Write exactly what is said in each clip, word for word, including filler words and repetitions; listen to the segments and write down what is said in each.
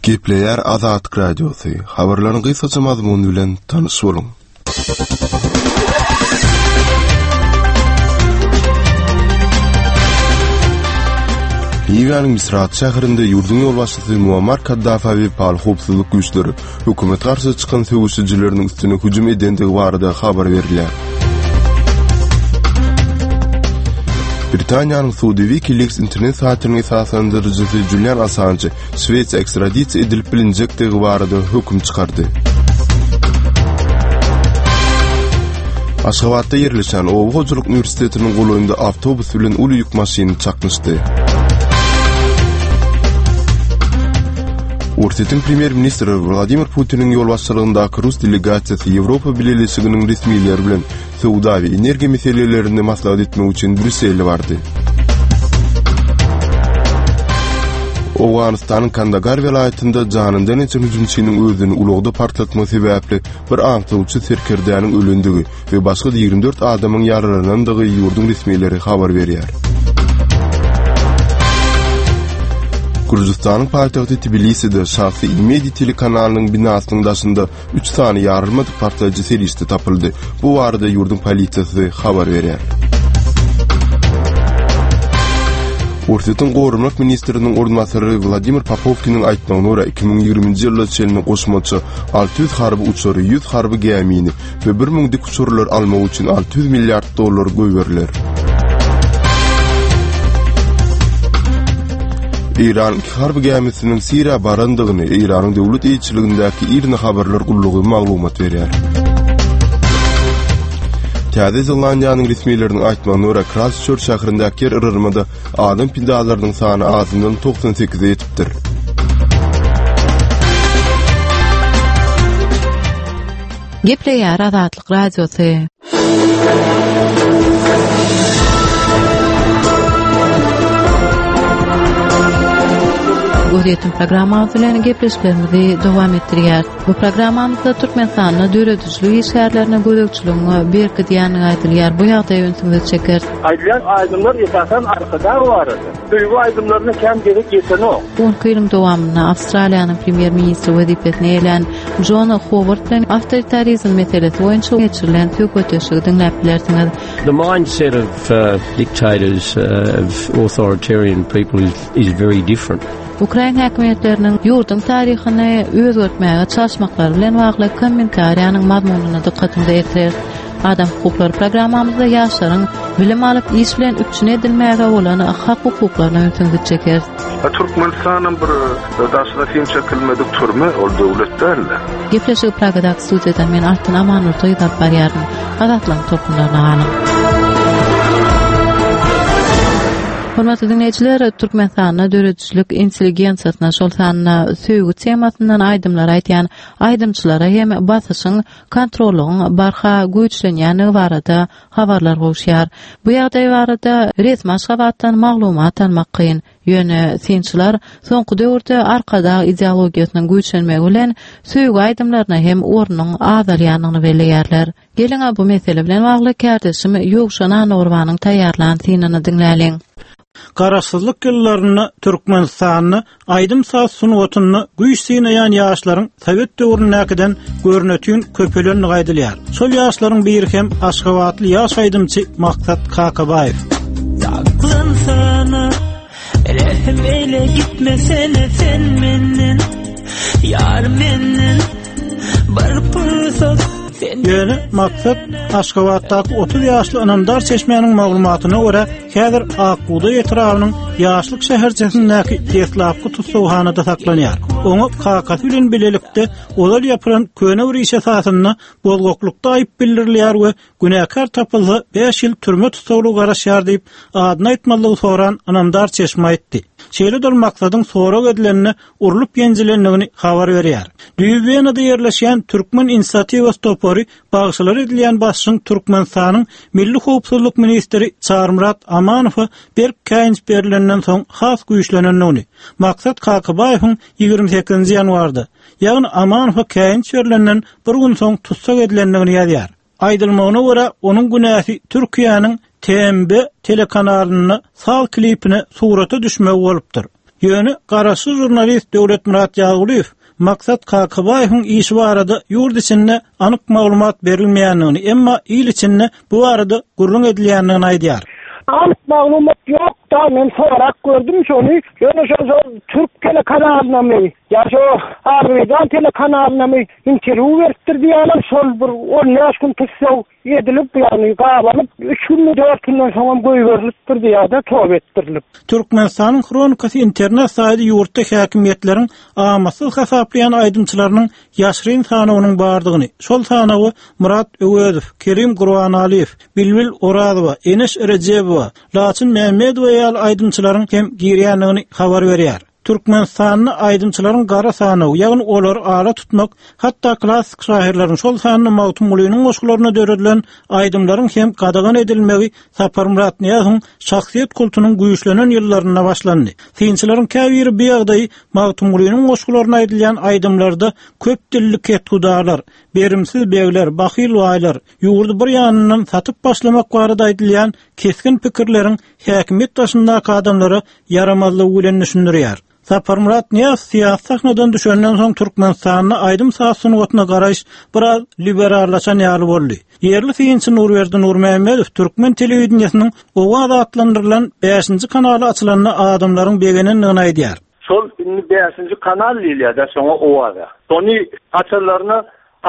Gepleýär Azatlyk Radiosy. Habarlaryň gysgaça mazmuny bilen tanyş boluň. Liwiýanyň Misrat şäherinde ýurduň ýolbaşçysy Muammar Kaddafä wepaly howpsuzlyk güýçleri hökümet garşy çykan söweşijileriniň üstüne hüjüm edendigi barada habar berilýär. Britaniýanyň sudy WikiLeaks internet saýtynyň esaslandyryjysy Julian Assange Şwesiýa ekstradisiýa edilip bilinjekdigi barada höküm çykardy. Aşgabatda ýerleşen Oba hojalyk uniwersitetiniň golaýynda awtobus bilen uly ýük maşyny çaknyşdy. Orsýetiň premýer-ministri Wladimir Putiniň ýolbaşçylygyndaky rus delegasiýasy Ýewropa Bileleşiginiň resmileri bilen söwda we energiýa meselelerini maslahat etmek üçin Brýussele bardy. Owganystanyň Kandagar welaýatynda janyndan geçen hüjümçiniň özüni ulagda partlatmagy sebäpli bir aňtawçy serkerdäniň ölendigi we başga-da ýigrimi dört adamyň ýaralanandygy ýurduň resmileri habar berýär. Gürjüstanyň paýtagty Tbiliside şahsy Imedi telekanalynyň binasynyň daşynda üç sany ýarylmadyk partlaýjy serişde tapyldy. Bu barada ýurduň polisiýasy habar berýär. Orsýetiň Goranmak ministriniň orunbasary Wladimir Popowkiniň aýtmagyna görä, iki müň ýigriminji ýyla çenli goşmaça alty ýüz harby uçary, ýüz harby gämini we bir müň dikuçarlary almak üçin alty ýüz milliard dollar goýberiler. Eýranyň iki harby gämisiniň Siriýa barandygyny Eýranyň döwlet eýeçiligindäki IRNA habarlar gullugy maglumat berýär. Täze Zelandiýanyň resmileriniň aýtmagyna görä, Kraýstçörç şäherindäki ýer yrylmada adam pidalarynyň sany azyndan togsan sekize ýetipdir. Gepleýär Azatlyk Radiosy. Gözýetim programmamyz bilen gepleşiklerimizi dowam etdirýäris. Bu programmamyzda Türkmenistanda döredijilik işgärlerine gözegçiligiň berkidýändigi aýdylýar. Bu ýagdaýa ünsüňizi çekeris. Aýdylýan aýdymlar esasan Arkadag barada. Söýgi aýdymlaryna kän gezek ýetenok. On iki ýylyň dowamynda Awstraliýanyň premýer-ministri wezipesini eýelän Jon Howard bilen awtoritarizm meselesi boýunça geçirilen söhbetdeşligi diňläp bilersiňiz. The mindset of, uh, dictators, uh, of authoritarian people is, is very different. Ukrain häkimiýetleriniň ýurduň taryhyny özgertmäge çalyşmaklary bilen bagly kommentariýanyň mazmunyna dykgatyňyzy ýetireris. Adam hukuklary programmamyzda ýaşlaryň bilim alyp iş bilen üpjün edilmäge bolan hak-hukuklaryna ünsüňizi çekeris. Ha, Türkmenistanam bir daşyna sim çekilmedik türme, ol döwlet däl-de. Gepleşigi Pragadaky studiýadan men Altyn Amanurdy alyp barýaryn. Azatlygyň tolkunlaryna galyň. Hormatly diňleýjiler, Türkmenistanda döredijilik intelligensiýasyna, şol sanda söýgi temasyndan aýdymlar aýdýan aýdymçylara hem basyşyň, kontrollygyň barha güýçlenýändigi barada habarlar gowuşýar. Bu ýagdaý barada resmi Aşgabatdan maglumat almak kyn. Ýöne synçylar soňky döwürde Arkadag ideologiýasynyň güýçlenmegi bilen söýgi aýdymlaryna hem ornuň azalýandygyny belleýärler. Geliň, bu mesele bilen bagly kärdeşim Ýowşan Annagurbanyň taýýarlan synyny diňläliň. Garaşsyzlyk ýyllarynda Türkmenistanda aýdym saz sungatynda güýç synaýan ýaşlaryň Sowet döwründäkiden görnütün köpelenligi aýdylýar. Şol ýaşlaryň biri hem Aşgabatly ýaş aýdymçy Maksat Kakabaýew. Saklansana, rehm eyle gitmesene sen menden, yar menden, bir pursat sen Ýöne Maksat Aşgabatdaky otuz ýaşly ynamdar çeşmäniň maglumatyna görä, häzir Akbugdaý etrabynyň Ýaşlyk şäherçesindäki deslapky tussaghanada saklanýar. Oňa kakasy bilen bilelikde ozal ýapylan köne bir iş esasynda bozgaklykda aýyp bildirilýär we günäkär tapylsa bäş ýyl türme tussaglygy garaşýar diýip, adyny aýtmazlygy soran ynamdar çeşme aýtdy. Şeýle-de ol Maksadyň sorag edilenine urlup ýenjilendigini habar berýär. Düýbi Wenada ýerleşýän Türkmen inisiatiwasy topary bagşylar edilýän basyşyň Türkmenistanyň Milli howpsuzlyk ministri Çarmyrat Amanowa berk käýinç berilenden soň has güýçlenendigini, Maksat Kakabaýewiň ýigrimi sekizinji ýanwarda, ýagny Amanowa käýinç berilenden bir gün soň tussag edilendigini ýazýar. Aýdylmagyna görä, onuň günäsi Türkiýäniň T M B telekanalynda saz klipine surata düşmegi bolupdyr. Ýöne garaşsyz žurnalist Döwletmyrat Ýazgulyýew Maksat Kakabaýewiň işi barada ýurt içinde anyk maglumat berilmeýändigini, emma il içinde bu barada gürrüň edilýändigini aýdýar. Anyk maglumat ýok da men sorak gördüm şony. Ýöne şo şo Türk telekanalyna my ýa şo Azerbaýjan telekanalyna my interwýu beripdir diýýärler. Şol bir on bäş gün tussag edilip, ýagny gabalyp, üç gün dört günden soňam goýberilipdir diýýär-de, toba etdirilip. Türkmenistanyň Hronikasy internet saýty ýurtda häkimiýetleriň amatsyz hasaplaýan aýdymçylarynyň ýaşryn sanawynyň bardygyny, şol sanawy Murat Öwezow, Kerim Gurbanaliýew, Bilbil Orazowa, Eneş Rejebowa, Laçyn Mehmedowa ýaly aýdymçylaryň hem girýändigini habar berýär. Türkmenistanda aýdymçylaryň gara sanawy, ýagny olary ala tutmak, hatda klassyk şaýyrlaryň şol sanyny Magtymgulynyň goşgularyna döredilen aýdymlaryň hem gadagan edilmegi Saparmyrat Nyýazowyň şahsyýet kultunyň güýçlenen ýyllarynda başlandy. Synçylaryň käbiri bu ýagdaýy Magtymgulynyň goşgularyna aýdylýan aýdymlarda köp dilli kethudalar, berimsiz begler, bahyl baýlar, ýurdy bir ýanyndan satyp başlamak barada aýdylýan kesgin pikirleriň häkimiýet daşyndaky adamlara ýaramazlygy bilen düşündirýär. Saparmyrat Nyýazow syýasy sahnadan düşenden soň Türkmenistanda aýdym saz sungatyna garaýyş biraz liberallaşan ýaly boldy. Ýerli synçy Nurberdi Nurmämmedow Türkmen telewideniýesiniň Owaz atlandyrylan bäşinji kanaly açylanda adamlaryň begenendigini aýdýar. Şol indi bäşinji kanal diýilýär-de şoňa Owaza. Şony açanlaryna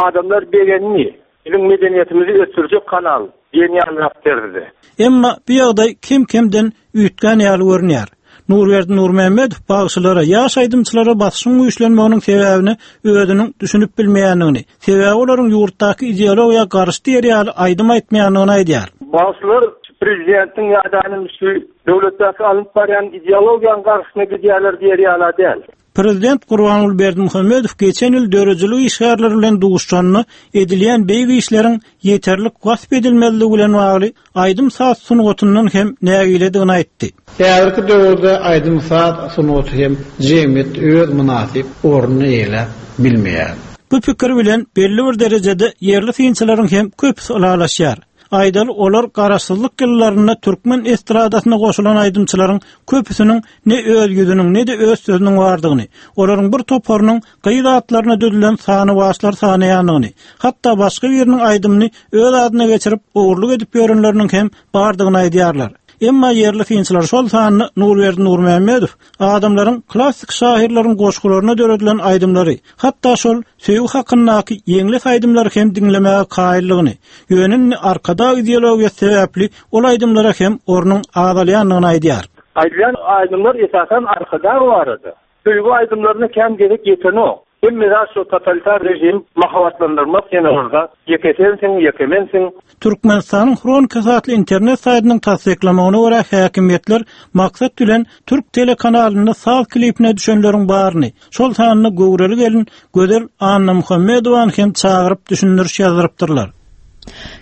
adamlar begendi. Biziň medeniýetimizi ösdürjek kanal diýen ýaly berdi. Emma bu ýagdaý kem-kemden üýtgän ýaly görünýär. Nurberdi Nurmämmedow bagşylara, ýaş aýdymçylara basyşyň güýçlenmeginiň sebäbini özüniň düşünip bilmeýändigini, sebäbi olaryň ýurtdaky ideologiýa garşy diýer ýaly aýdym aýtmaýandygyny aýdýar. Bagşylar prezidentiň ýa-da şu döwletdäki alyp barýan ideologiýanyň garşysyna gidýärler diýer ýaly däl. Prezident Gurbanguly Berdimuhamedow geçen ýyl döredijilik işgärleri bilen duşuşanda edilýän beýik işleriň ýeterlik wasp edilmezligi bilen bagly aýdym saz sungatyndan hem nägiledigini aýtdy. Häzirki döwürde aýdym saz sungaty hem jemgyýet öz mynasyp ornuny eýeläp bilmeýär. Bu pikir bilen belli bir derejede ýerli synçylaryň hem köpüsi ylalaşýar. Aýdaly olar garaşsyzlyk ýyllarynda türkmen estradasyna goşulan aýdymçylaryň köpüsiniň ne öz ýüzüniň ne-de öz sözüniň bardygyny, olaryň bir toparynyň gyz atlaryna düzülen sany başlar sanaýandygyny, hatda başga biriniň aýdymyny öz adyna geçirip ogurlyk edip ýörenleriniň hem bardygyny aýdýarlar. Emma ýerli synçylar şol sanyny Nurberdi Nurmämmedow adamlaryň klassyk şaýyrlaryň goşgularyna döredilen aýdymlary, hatda şol söýgi hakyndaky ýeňles aýdymlary hem diňlemäge kaýyllygyny, ýöne arkadag ideologiýasy sebäpli ol aýdymlara hem ornuň azalýandygyny aýdýar. Aýdylýan aýdymlar esasan arkadag barada. Söýgi aýdymlaryna kem gezek ýetenok. Hemme zat şu totalitar rejim mahabatlandyrmak ýene orada. Ýeke sensiň, ýeke mensiň. Türkmenistanyň Hronikasy atly internet saýtynyň tassyklamagyna görä häkimiýetler maksat bilen Türk telekanalynda saz klipine düşenleriň baryny, şol sanda göwreli gelin Gözel Annamuhammedowany hem çagyryp düşündiriş ýazdyrypdyrlar.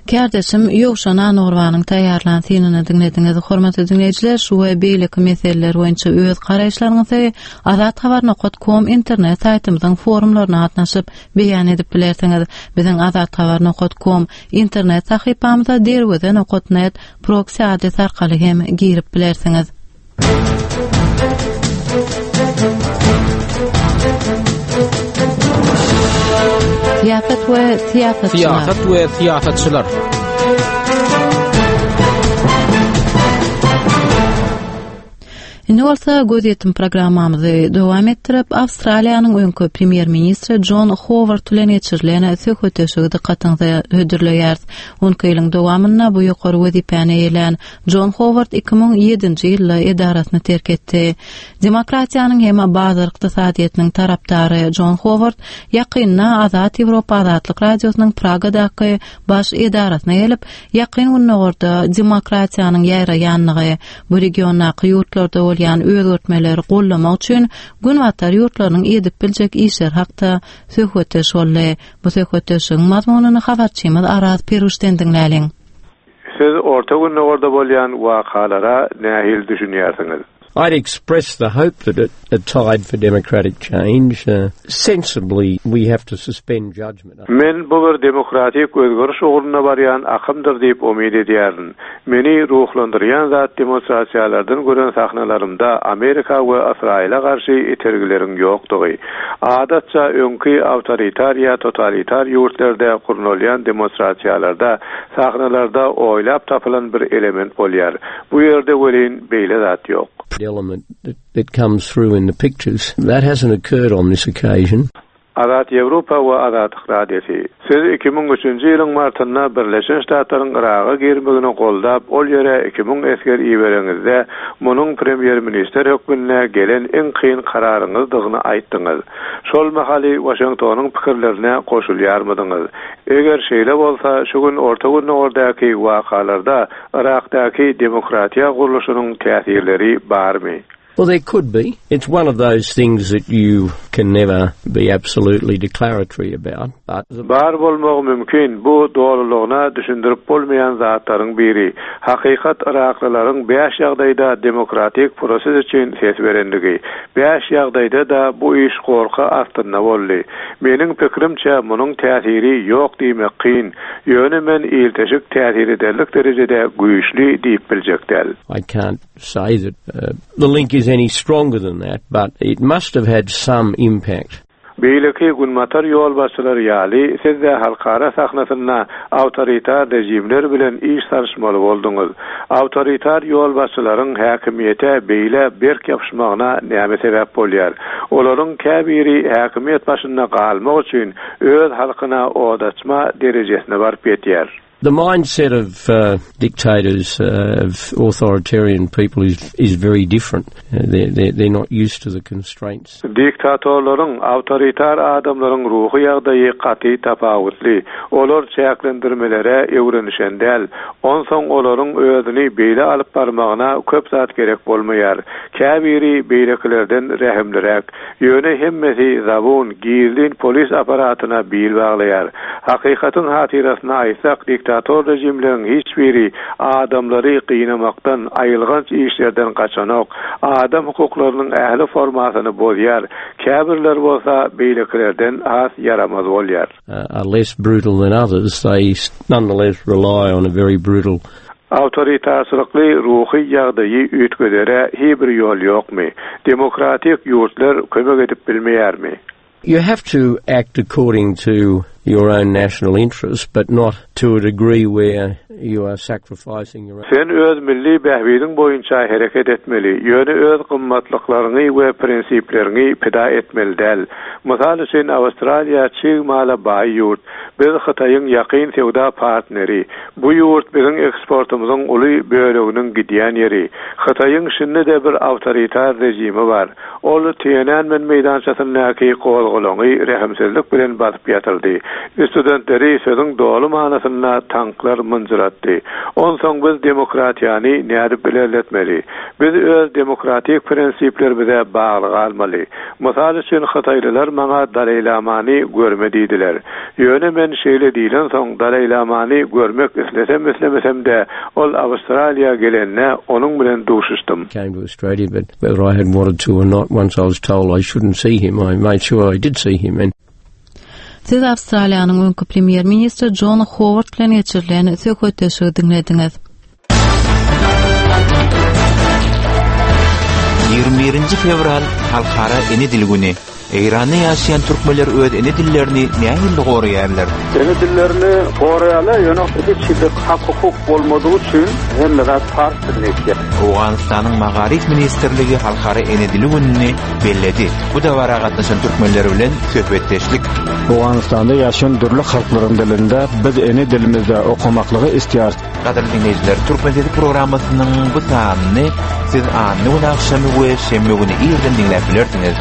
Kärdeşim Ýowşan Anorwanyň taýýarlan synyny diňlediňiz. Hormatly diňleýjiler, şu we beýleki meseleler boýunça öz garaýyşlaryňyzy azathabar nokta com internet saýtymyzyň forumlaryna gatnaşyp beýan edip bilersiňiz. Biziň azathabar nokta com internet sahypamyza derweze nokta net proxy adres arkaly hem girip bilersiňiz. Syýasat we syýasatçylar. Syýasat we syýasatçylar. Indi bolsa gözýetim programmamyzy dowam etdirip, Awstraliýanyň öňki premýer-ministri John Howard bilen geçirilen söhbetdeşligi dykgatyňyza hödürleýäris. On iki ýylyň dowamynda bu ýokary wezipäni eýelän John Howard iki müň ýedinji ýylda edarasyny terk etdi. Demokratiýanyň hem bazar ykdysadyýetiniň tarapdary John Howard ýakynda Azat Ýewropa Azatlyk Radiosynyň Pragadaky baş edarasyna gelip, ýakyn günlerde demokratiýanyň ýaýraýanlygy, bu regiondaky ýurtlarda bolýan özgertmeleri gollamak üçin Günbatar ýurtlarynyň edip biljek işleri hakda söhbetdeş boldy. Bu söhbetdeşligiň mazmunyny habarçymyz Araz Peruşden diňläliň. Siz Orta Gündogarda bolýan wakalara nähili düşünýärsiňiz? I'd express the hope that it, a tide for democratic change. Uh, sensibly, we have to suspend judgment. Men bu bir demokratik özgeriş ugruna barýan akymdyr diýip umyt edýärin. Meni ruhlandyrýan zat demonstrasiýalardan gören sahnalarymda Amerika we Ysraýyla garşy itergileriň ýokdugy. Adatça öňki awtoritar ýa totalitar ýurtlarda gurnalýan demonstrasiýalarda sahnalarda oýlap tapylan bir element bolýar. Bu ýerde welin beýle zat ýok. Element that, that comes through in the pictures. That hasn't occurred on this occasion. Azat Ýewropa we Azatlyk Radiosy. Siz iki müň üçünji ýylyň martynda Birleşen Ştatlaryň Yraga girmegini goldap, ol ýere iki müň esger ibereňizde, munuň premýer-ministr hökmünde gelen iň kyn kararyňyzdygyny aýtdyňyz. Şol mahaly Waşingtonyň pikirlerine goşulýarmydyňyz? Eger şeýle bolsa, şu gün Orta Gündogardaky wakalarda Yrakdaky demokratiýa gurluşynyň täsirleri barmy? Well, there could be. It's one of those things that you can never be absolutely declaratory about. But the Bar bolmagy mümkin, bu dolulygyna düşündirip bolmaýan zatlaryň biri. Hakykat Yraklylaryň bäş ýagdaýda demokratik proses üçin ses berendigi. Bäş ýagdaýda-da bu iş gorky astynda boldy. Meniň pikirimçe munuň täsiri ýok diýmek kyn. Ýöne men ilteşik täsir ederlik derejede güýçli diýip biljek däl. I can't say that, uh, the link is any stronger than that, but it must have had some impact. Beýleki günbatar ýolbaşçylary ýaly, siz-de halkara sahnasynda awtoritar rejimler bilen iş salyşmaly bolduňyz. Awtoritar ýolbaşçylaryň häkimiýete beýle berk ýapyşmagyna näme sebäp bolýar? Olaryň käbiri häkimiýet başynda galmak üçin öz halkyna od açma derejesine baryp ýetýär. The mindset of, uh, dictators, uh, of authoritarian people is, is very different. Uh, they're, they're, they're not used to the constraints. Diktatorlaryň, awtoritar adamlaryň ruhy ýagdaýy gaty tapawutly. Olar çäklendirmelere öwrenişen däl. Onsoň olaryň özüni beýle alyp barmagyna köp zat gerek bolmaýar. Käbiri beýlekilerden rehimliräk. Ýöne hemmesi zabun, gizlin polis aparatyna bil baglaýar. Hakykatyň hatyrasyna aýtsak, diktator rejimleriň hiç biri adamlary gynamakdan, aýylganç işlerden gaçanok. Adam hukuklarynyň ähli formasyny bozýar. Käbirler bolsa beýlekilerden has ýaramaz bolýar. Uh, are less brutal than others, they nonetheless rely on a very brutal Awtoritarçylykly ruhy ýagdaýy üýtgedere hiç bir ýol ýokmy? Demokratik ýurtlar kömek edip bilmeýärmi? You have to act according to your own national interests, but not to a degree where you are sacrificing your own. Sen öz milli bähbidiň boýunça hereket etmeli, ýöne öz gymmatlyklaryňy we prinsipleriňi pida etmeli däl. Mysal üçin Awstraliýa çig mala baý ýurt. Biz Hytaýyň ýakyn söwda partneri. Bu ýurt biziň eksportymyzyň uly böleginiň gidýän ýeri. Hytaýyň şindi-de bir awtoritar rejimi bar. Ol Tiananmen meýdançasyndaky gozgalaňy rehimsizlik bilen basyp ýatyrdy. Studentleri sözüň doly manasynda tanklar mynjyratdy. Onsoň biz demokratiýany nädip ilerletmeli? Biz öz demokratik prinsiplerimize bagly galmaly. Mysal üçin Hytaýlylar maňa Dalai Lamany görme diýdiler. Ýöne men şeýle diýlen soň Dalai Lamany görmek islesem islemesem-de ol Awstraliýa gelende onuň bilen duşuşdym. Came to Australia, but whether I had wanted to or not, once I was told I shouldn't see him, I made sure I did see him. And Siz Awstraliýanyň öňki premýer-ministri John Howard bilen geçirilen söhbetdeşligi diňlediňiz. Ýigrimi birinji fewral Halkara Ene Dili güni. Eýranda ýaşaýan türkmenler öz ene dillerini nähili goraýarlar? Ene dillerini goraýarlar, ýöne hiç hili hak hukuk bolmadygy üçin hemme zat pars dilinde geçýär. Owganystanyň Magaryf ministrligi Halkara Ene Dili gününi belledi. Bu dabara gatnaşan türkmenler bilen söhbetdeşlik. Owganystanda ýaşaýan dürli halklaryň dilinde biz ene dilimizde okamaklygy istiýarys. Gadyrly dinleýjiler, Türkmen Sesi programmasynyň bu sanyny siz anna gün agşamy we şenbe güni irden diňläp bilersiňiz.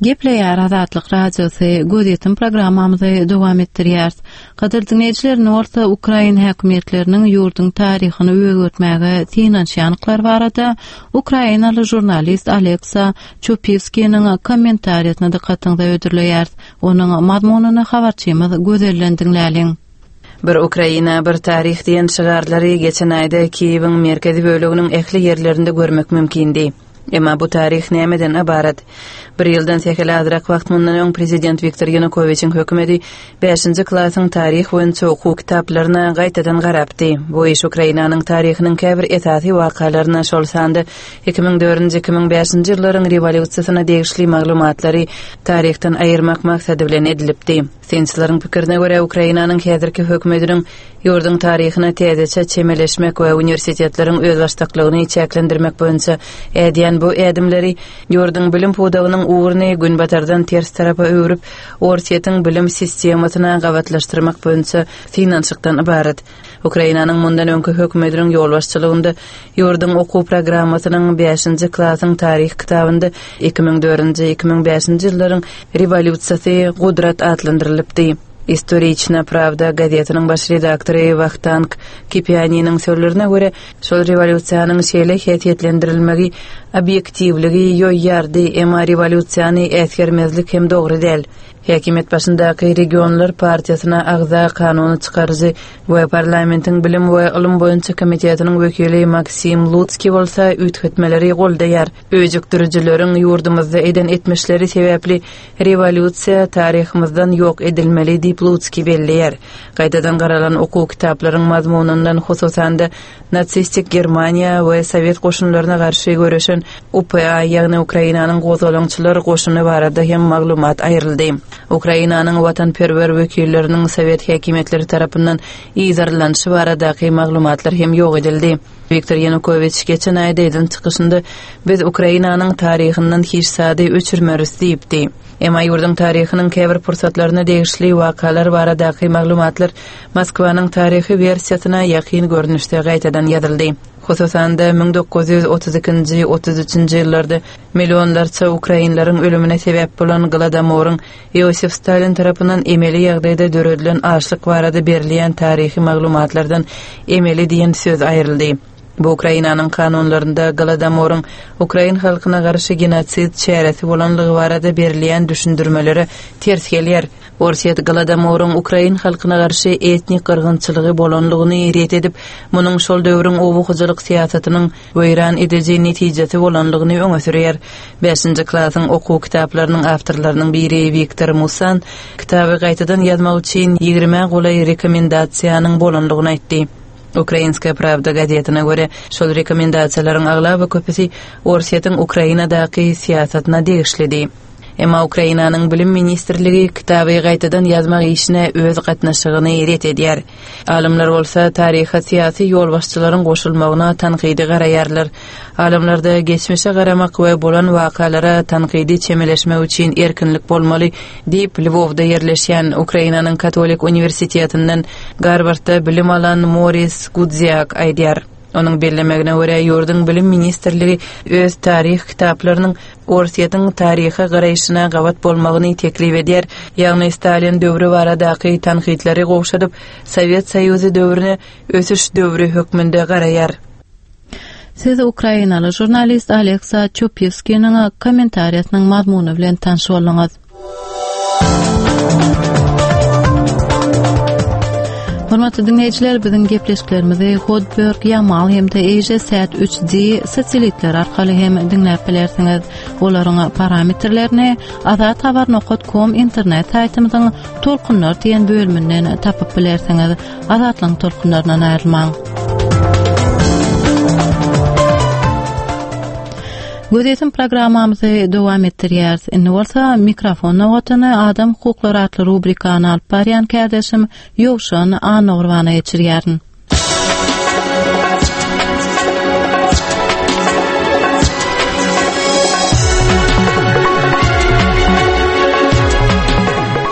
Gepleýär Azatlyk Radiosy, gözýetim programmamyzy dowam etdirýäris. Gadyrly dinleýjiler, indi bolsa Ukrain häkimiýetleriniň ýurduň taryhyny özgertmäge synanyşýandyklary barada ukrainaly žurnalist Aleksa Çupiwskiniň kommentariýasyna dykgatyňyza hödürleýäris. Onuň mazmunyny habarçymyz Gözelden diňläliň. Bir Ukraina, bir taryh diýen şygarlary geçen aýda Kiýewiň merkezi böleginiň ähli ýerlerinde görmek mümkindi. Emma bu taryh nämeden ybarat? Bir ýyldan sähel azrak wagt mundan öň prezident Wiktor Ýanukowiçiň hökümeti bäşinji klasyň taryh boýunça okuw kitaplaryna gaýtadan garapdy. Bu iş Ukrainanyň taryhynyň käbir esasy wakalaryna, şol sanda iki müň dördünji, iki müň bäşinji ýyllaryň rewolýusiýasyna degişli maglumatlary taryhdan aýyrmak maksady bilen edilipdi. Synçylaryň pikirine görä, Ukrainanyň häzirki hökümetiniň ýurduň taryhyna täzeçe çemeleşmek we uniwersitetleriň özbaşdaklygyny çäklendirmek boýunça ädýän bu ädimleri ýurduň bilim pudagynyň ugruny günbatardan ters tarapa öwrüp, Orsýetiň bilim sistemasyna gabatlaşdyrmak boýunça synanyşykdan ybarat. Ukrainanyň mundan öňki hökümetiniň ýolbaşçylygynda ýurduň okuw programmasynyň bäşinji klasyň taryh kitabynda iki müň dördünji, iki müň bäşinji ýyllaryň rewolýusiýasy gudrat atlandyrylypdy. Istoriçna Pravda gazetiniň baş redaktory Wahtang Kipianiniň sözlerine görä, şol rewolýusiýanyň şeýle häsiýetlendirilmegi obýektiwligi ýoýýardy, emma rewolýusiýany äsgermezlik hem dogry däl. Häkimiýet başyndaky Regionlar partiýasyna agza kanuny çykaryjy we parlamentiň bilim we ylym boýunça komitetiniň wekili Maksim Lutskiý bolsa üýtgetmeleri goldaýar. Öjükdirijileriň ýurdumyzda eden etmişleri sebäpli rewolýusiýa taryhymyzdan ýok edilmeli diýip Lutskiý belleýär. Gaýtadan garalan okuw kitaplaryň mazmunyndan hususan-da nasistik Germaniýa we Sowet goşunlaryna garşy göreşen U P A, ýagny Ukrainanyň gozgalaňçylar goşuny barada hem maglumat aýryldy. Ukrainanyň watanperwer wekilleriniň Sowet häkimiýetleri tarapyndan yzarlanyşy baradaky maglumatlar hem ýok edildi. Wiktor Ýanukowiç geçen aýda eden çykyşynda biz Ukrainanyň taryhyndan hiç zady öçürmeris diýipdi. Emma ýurduň taryhynyň käbir pursatlaryna degişli wakalar baradaky maglumatlar Moskwanyň taryhy wersiýasyna ýakyn görnüşde gaýtadan ýazyldy. Hususan-da müň dokuz ýüz otuz ikinji, otuz üçünji ýyllarda millionlarça ukrainleriň ölümine sebäp bolan Golodomoryň Iosif Stalin tarapyndan emeli ýagdaýda döredilen açlyk barada berilýän taryhy maglumatlardan emeli diýen söz aýryldy. Bu Ukrainanyň kanunlarynda Golodomoryň ukrain halkyna garşy genosid çäresi bolanlygy barada berilýän düşündirmelere ters gelýär. Orsýet Golodomoryň ukrain halkyna garşy etnik gyrgynçylygy bolanlygyny ret edip, munuň şol döwrüň oba hojalyk syýasatynyň weýran ediji netijesi bolanlygyny öňe sürýär. Bäşinji klasyň okuw kitaplarynyň awtorlarynyň biri Wiktor Musan kitaby gaýtadan ýazmak üçin ýigrimä golaý rekomendasiýanyň bolanlygyny aýtdy. Ukrainskaya Pravda gazetine görä, şol rekomendasiýalaryň aglaba köpüsi Orsýetiň Ukrainadaky syýasatyna degişlidi. Emma Ukrainanyň bilim ministrligi kitaby gaýtadan ýazmak işine öz gatnaşygyny ret edýär. Alymlar bolsa taryha syýasy ýolbaşçylaryň goşulmagyna tankydy garaýarlar. Alymlarda geçmişe garamak we bolan wakalara tankydy çemeleşmek üçin erkinlik bolmaly diýip Lwowda ýerleşýän Ukrainanyň Katolik uniwersitetinden Garwardda bilim alan Moris Gudziak aýdýar. Onuň bellemegine görä, ýurduň bilim ministrligi öz taryh kitaplarynyň Orsýetiň taryha garaýşyna gabat bolmagyny teklip edýär. Ýagny Stalin döwri baradaky tankytlary gowşadyp, Sowet Soýuzy döwrüne ösüş döwri hökmünde garaýar. Siz ukrainaly žurnalist Aleksa Çopýewskiniň kommentariýasynyň mazmuny bilen tanyş bolduňyz. Hormatly dinleýjiler, biziň gepleşiklerimizi Hotbird, Yamal hem-de Asia Sat üç D satelitler arkaly hem diňläp bilersiňiz. Olaryň parametrlerini azathabar nokta com internet saýtymyzyň Tolkunlar diýen bölüminden tapyp bilersiňiz. Azatlygyň tolkunlaryndan aýrylmaň. Gözetim programmamyzy dowam etdirýäris. Indi bolsa mikrofon nobatyny Adam hukuklary atly rubrikany alyp barýan kärdeşim Ýowşan Annagurbana geçirýärin.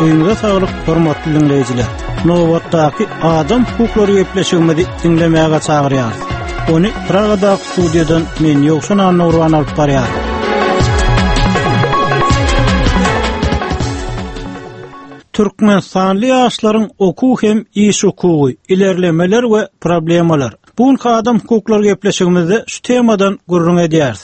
Öňüňize saglyk, hormatly dinleýjiler. Nobatdaky adam hukuklary gepleşigimizi diňlemäge çagyrýarys. Ony Pragadaky studiýadan men Ýowşan Annagurban alyp barýaryn. Türkmenistanly ýaşlaryň okuw hem iş hukugy, ilerlemeler we problemalar. Bu günki adam hukuklary gepleşigimizde şu temadan gürrüň edýäris.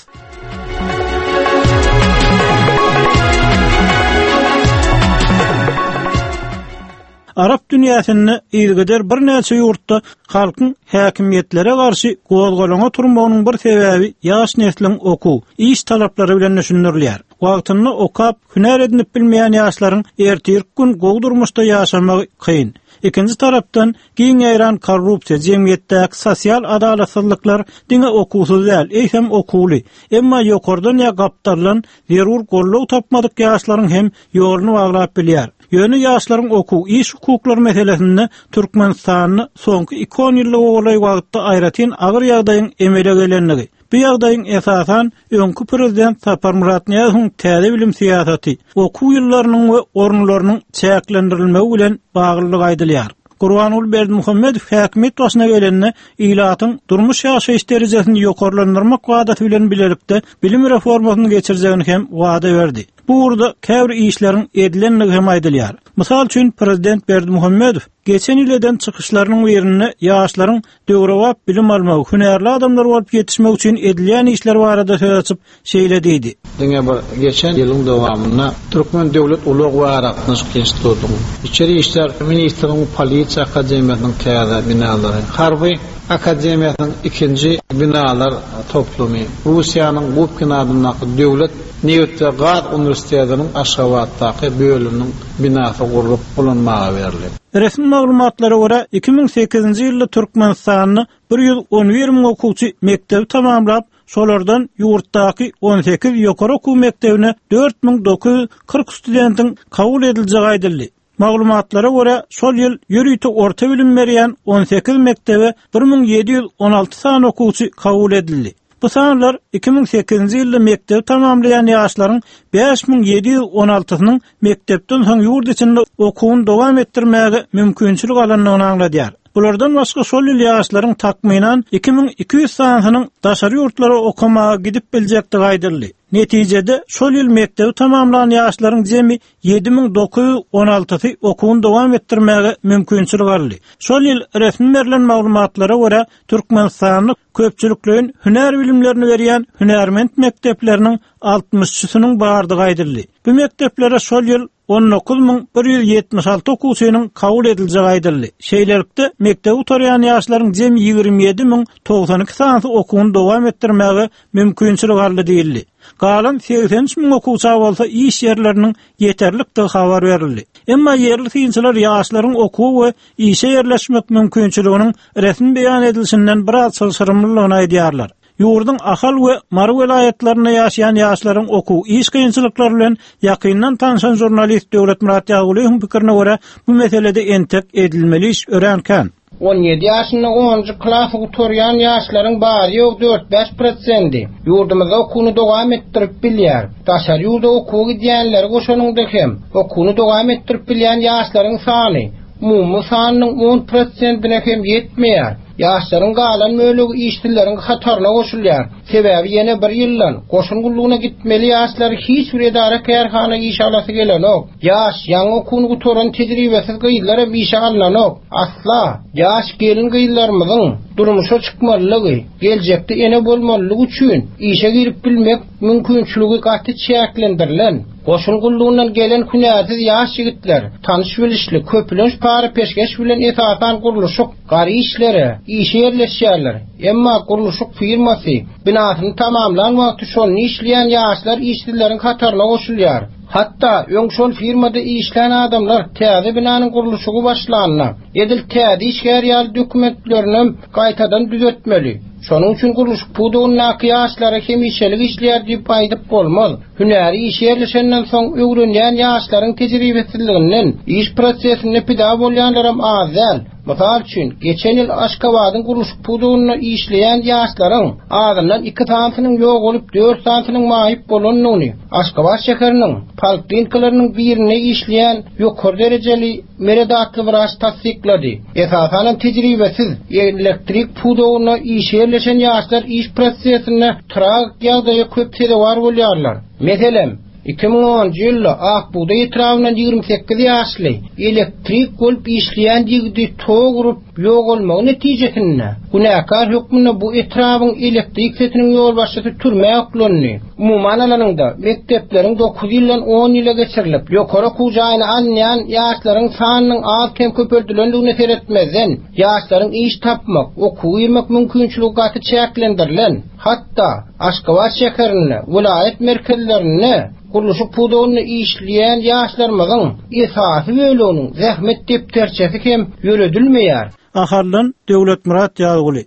Arap dünýäsinde ilgider birnäçe ýurtda halkyň häkimiýetlere garşy gozgalaňa turmagynyň bir sebäbi ýaş nesliň okuw, iş talaplary bilen düşündirilýär. Wagtynda okap, hünär edinip bilmeýän ýaşlaryň ertir gün gowy durmuşda ýaşamagy kyn. Ikinji tarapdan giň ýaýran korrupsiýa, jemgyýetdäki sosial adalatsyzlyklar diňe okuwsyz däl, eýsem okuwly, emma ýokardan ýa gapdaldan zerur goldaw tapmadyk ýaşlaryň hem ýoluny baglap bilýär. Ýöne ýaşlaryň okuw, iş hukuklary meselesinde Türkmenistanda soňky iki on ýyllyk golaý wagtda aýratyn agyr ýagdaýyň emele gelenligi. Bu ýagdaýyň esasan öňki prezident Saparmyrat Nyýazowyň täze bilim syýasaty, okuw ýyllarynyň we orunlarynyň çäklendirilmegi bilen baglylygy aýdylýar. Gurbanguly Berdimuhamedow häkimiýet başyna gelende ilatyň durmuş ýaşaýyş derejesini ýokarlandyrmak wadasy bilen bilelikde bilim reformasyny geçirjegini hem wada berdi. Bu ugurda käbir işleriň edilenligi hem aýdylýar. Mysal üçin prezident Berdimuhamedow geçen ýyl eden çykyşlarynyň birinde ýaşlaryň döwrebap bilim almagy, hünärli adamlar bolup ýetişmek üçin edilýän işler barada söz açyp şeýle diýdi. Diňe bir geçen ýylyň dowamynda Türkmen Döwlet Ulag we Aragatnaşyk Institutynyň, Içeri İşler Ministriniň Polisiýa Akademiýasynyň täze binalary, Harby Akademiýasynyň ikinji binalar toplumy, Russiýanyň Gubkin adyndaky Döwlet Neft we Gaz Uniwersitetiniň Aşgabatdaky bölüminiň binasy gurlup ulanmaga berildi. Resmi maglumatlara görä iki müň sekizinji ýylda Türkmenistanda bir ýüz on bir müň okuwçy mekdebi tamamlap, şolardan ýurtdaky on sekiz ýokary okuw mekdebine dört müň dokuz ýüz kyrk studentiň kabul ediljegi aýdyldy. Maglumatlara görä, şol ýyl ýörite orta bilim berýän on sekiz mekdebe bir müň ýedi ýüz on alty sany okuwçy kabul edildi. Bu sanlar iki müň sekizinji ýylda mekdebi tamamlaýan ýaşlaryň bäş müň ýedi ýüz on altysynyň mekdepden soň ýurt içinde okuwyny dowam etdirmäge mümkinçilik alandygyny aňladýar. Bulardan başga şol ýyl ýaşlaryň takmynan iki müň iki ýüz sanysynyň daşary ýurtlara okamaga gidip biljekdigi aýdyldy. Netijede şol ýyl mekdebi tamamlan ýaşlaryň jemi ýedi müň dokuz ýüz on altysy okuwyny dowam etdirmäge mümkinçilik aldy. Şol ýyl resmi berlen maglumatlara görä Türkmenistanda köpçülikleýin hünär bilimlerini berýän hünärment mekdepleriniň altmyşçysynyň bardygy aýdyldy. Bu mekdeplere şol ýyl on dokuz müň bir ýüz ýetmiş alty okuwçynyň kabul ediljegi aýdyldy. Şeýlelikde mekdebi gutarýan ýaşlaryň jemi ýigrimi ýedi müň togsan iki sanysy okuwyny dowam etdirmäge mümkinçilik aldy diýildi. Galan segsen üç müň okuwça bolsa iş ýerleriniň ýeterlikdigi habar berildi. Emma ýerli synçylar ýaşlaryň okuwy we işe ýerleşmek mümkinçiliginiň resmi beýan edilişinden biraz çylşyrymlylygyny aýdýarlar. Ýurduň Ahal we Mary welaýatlarynda ýaşaýan ýaşlaryň okuw iş kynçylyklary bilen ýakyndan tanşan žurnalist Döwletmyrat Ýagulyýewiň pikirine görä bu meselede entek edilmeli iş örän kän. On ýedi ýaşynda onunjy klasy gutarýan ýaşlaryň bary ýok dört bäş prosendi. Ýurdumyzda okuwyny dowam etdirip bilýär. Daşary ýurda okuwa gidýänleri goşanyňda hem okuwyny dowam etdirip bilýän ýaşlaryň sany umumy sanynyň on prosentine hem ýetmeýär. Ýaşlaryň galan bölegi işsizleriň hataryna goşulýar. Sebäbi ýene bir ýyldan goşun gullugyna gitmeli ýaşlar hiç bir edara kärhana iş alasy gelenok. Ýaş, ýaňy okuwyny gutaran tejribesiz gyzlar hem işe alynanok. Asla ýaş gelin gyzlarymyzyň durmuşa çykmalygy, geljekde ene bolmalygy üçin işe girip bilmek mümkinçiligi gaty çäklendirilen. Goşun gullugyndan gelen hünärsiz ýaş ýigitler tanyş bilişli köplenç para peşgeş bilen esasan gurluşyk gary işlere işe ýerleşýärler. Emma gurluşyk firmasy binasyny tamamlan wagty şony işleýän ýaşlar işsizleriň hataryna goşulýar. Hatda öň şol firmada işlän adamlar täze binanyň gurluşygy başlanyna, edil täze işgär ýaly dokumentlerini gaýtadan düzetmeli. Şonuň üçin gurluşyk pudagyndaky ýaşlara hemişelik işleýär diýip aýdyp bolmaz. Hünäri iş ýerleşenden soň öwrenýän ýaşlaryň tejribesizliginden iş prosesinde pida bolýanlaram az däl. Mysal üçin, geçen ýyl Aşgabadyň gurluşyk pudagynda işleýän ýaşlaryň azyndan iki sanysynyň ýok bolup, dört sanysynyň maýyp bolandygyny, Aşgabat şäheriniň poliklinikalarynyň birinde işleýän ýokary derejeli Meret atly wraç tassyklady. Esasanam tejribesiz elektrik pudagynda iş ýerleşen ýaşlar iş prosesinde tragik ýagdaýa köp sezewar bolýarlar. Meselem, Iki müň onunjy ýylda Ak bugdaý etrabyndan ýigrimi sekiz ýaşly elektrik bolup işleýän ýigidi tok urup ýogalmagy netijesinde günäkär hökmünde bu etrabyň elektrik setiniň ýolbaşçysy türmä oklandy. Umuman alanyňda, mekdepleriň dokuz ýyldan on ýyla geçirilip, ýokary okuw jaýyna alynýan ýaşlaryň sanynyň az-kem köpeldilendigine seretmezden, ýaşlaryň iş tapmak, okuwa girmek mümkinçiligi gaty çäklendirilen. Hatda Aşgabat şäherinde, welaýat merkezlerinde gurluşyk pudagynda işleýän ýaşlarymyzyň esasy böleginiň zähmet depderçesi hem ýöredilmeýär. Ahaldan Döwletmyrat Ýazguly.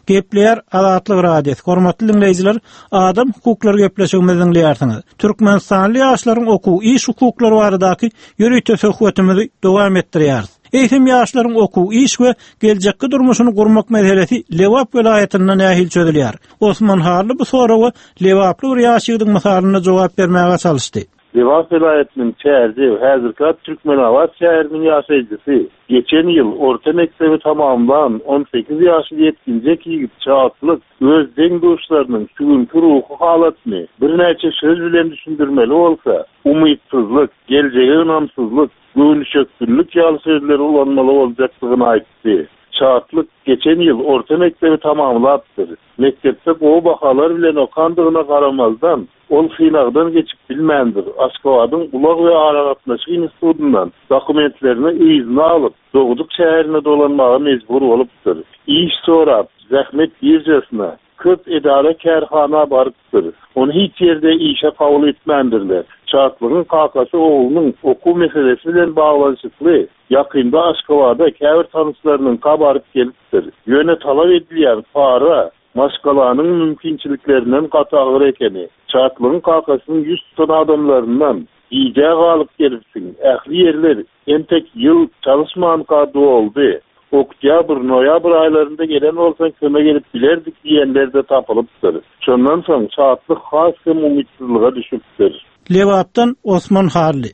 Gepleýär Azatlyk Radiosy. Hormatly dinleýjiler, adam hukuklary gepleşigimizi diňleýärsiňiz. Türkmenistanly ýaşlaryň okuw, iş hukuklary baradaky ýörite söhbetimizi dowam etdirýäris. Eýsem ýaşlaryň okuw, iş we geljekki durmuşyny gurmak meselesi Lebap welaýatynda nähili çözülýär? Osman Hally bu soraga Lebaply bir ýaş ýigidiň mysalynda jogap bermäge çalyşdy. Lebap welaýatynyň Çärjew, häzirki ady Türkmenabat şäheriniň ýaşaýjysy, geçen ýyl orta mekdebi tamamlan on sekiz ýaşly ýetginjek ýigit Çatlyk öz deň-duşlarynyň şu günkü ruhy halatyny birnäçe söz bilen düşündirmeli bolsa, umytsyzlyk, geljege ynamsyzlyk, göwnüşeklilik ýaly sözleri ulanmaly boljakdygyny aýtdy. Çatlyk geçen ýyl orta mekdebi tamamlapdyr. Mekdepde gowy bahalar bilen okandygyna garamazdan, ol synagdan geçip bilmändir. Aşgabadyň Ulag we aragatnaşyk institutyndan dokumentlerini yzyna alyp, dogduk şäherine dolanmaga mejbur bolupdyr. Iş sorap, zähmet birjasyna, köp edara kärhana barypdyr. Onu hiç ýerde işe kabul etmändirler. Çatlygyň kakasy oglunyň okuw meselesi bilen baglanyşykly ýakynda Aşgabada käbir tanyşlarynyň baryp gelipdir. Ýöne talap edilýän para maşgalanyň mümkinçiliklerinden gaty agyr ekeni. Çatlygyň kakasynyň ýüz tutan adamlaryndan gijä galyp gelipsiň. Ähli ýerler entek ýyl çalışmanka doldy. Oktyabr, noýabr aýlarynda gelen bolsaň kömek edip bilerdik diýenler de tapylypdyr. Şondan soň Çatlyk has hem umytsyzlyga düşüpdir. Lebapdan Osman Hally.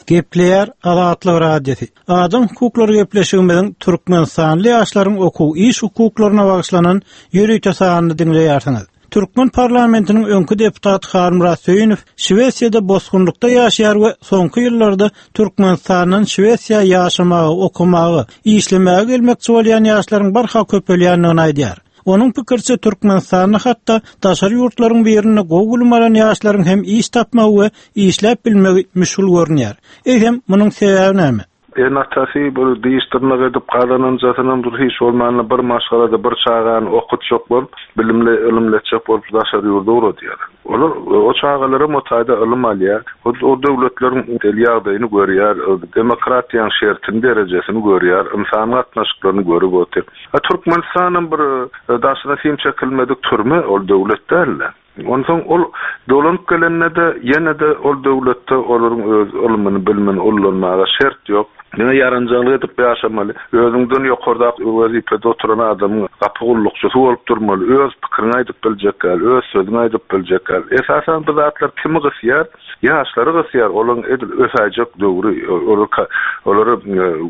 Gepleýär Azatlyk Radiosy. Adam hukuklary gepleşigimiziň Türkmenistanly ýaşlaryň okuw iş hukuklaryna bagyşlanan ýörite sanyny diňleýärsiňiz. Türkmen parlamentiniň öňki deputaty Halmyrat Söýünow Şwesiýada bosgunlykda ýaşaýar we soňky ýyllarda Türkmenistandan Şwesiýa ýaşamaga, okamaga, işlemäge gelmekçi bolýan ýaşlaryň barha köpelýändigini aýdýar. Onuň pikirçe Türkmenistanda hatda daşary ýurtlaryň birinde gowy bilim alan ýaşlaryň hem iş tapmagy we işläp bilmegi müşgil görünýär. Eýsem, munuň sebäbi näme? Ene-atasy bir diş dyrnak edip gazananjasynam bir hiç bolmanda bir maşgalada bir çagany okutjak bolup, bilimli, ylymly etjek bolup daşary ýurda ugradýarlar. Olar o çagalara o taýda ylym alýar. O, o döwletleriň del ýagdaýyny görýär, demokratiýanyň şertini, derejesini görýär, insan gatnaşyklaryny görüp otyr. A Türkmenistanam bir daşyna sim çekilmedik türme, ol döwlet däl-de. Onsoň ol dolanyp gelende-de ýene-de ol döwletde olaryň öz ylmyny, bilimini ullanmaga şert ýok. Diňe ýaranjaňlyk edip ýaşamaly. Özüňden ýokardaky wezipede oturan adamyň gapy gullukçysy bolup durmaly. Öz pikirini aýdyp biljek däl, öz sözüni aýdyp biljek däl. Esasan bu zatlar kimi gysýar? Ýaşlary gysýar. Olaryň edil ösäýjek döwri, olara, olara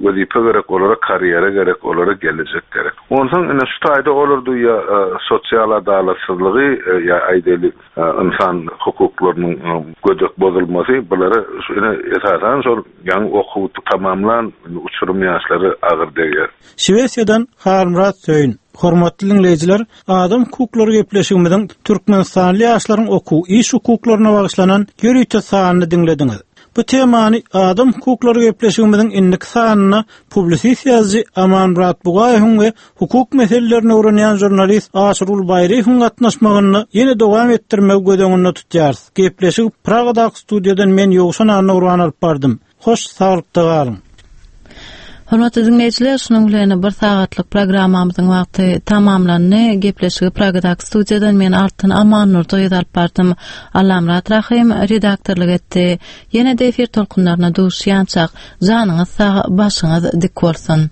wezipe gerek, olara karýera gerek, olara gelejek gerek. Onsoň ine şu taýda olar duýýar, e, sosial adalatsyzlygy, e, ýa aýdaly, e, insan hukuklarynyň, e, gödek bozulmasy, bulara şu ine esasan şol ýaňy okuw tamamlan uçurum ýaşlary agyr degýär. Şwesiýadan Halmyrat Söýün. Hormatly dinleýjiler, adam hukuklary gepleşigimiziň Türkmenistanly ýaşlaryň okuw iş hukuklaryna bagyşlanan ýörite sanyny diňlediňiz. Bu temany adam hukuklary gepleşigimiziň indiki sanyna publisist ýazyjy Amanmyrat Bugaýewiň we hukuk meselelerini öwrenýän žurnalist Aşyrgul Baýryýewiň gatnaşmagynda ýene dowam etdirmegi göz öňünde tutýarys. Gepleşigi Pragadaky studiýadan men Ýowşan Annagurban alyp bardym. Hoş saglykda galyň. Hormatly dinleýjiler, şunuň bilen bir sagatlyk programmamyzyň wagty tamamlandy. Gepleşigi Pragadaky studiýadan men Altyn Amannurdy alyp bardym. Allamyrat Rahym redaktorlyk etdi. Ýene-de efir tolkunlaryna duşýançak, janyňyz sag, başyňyz dik bolsun.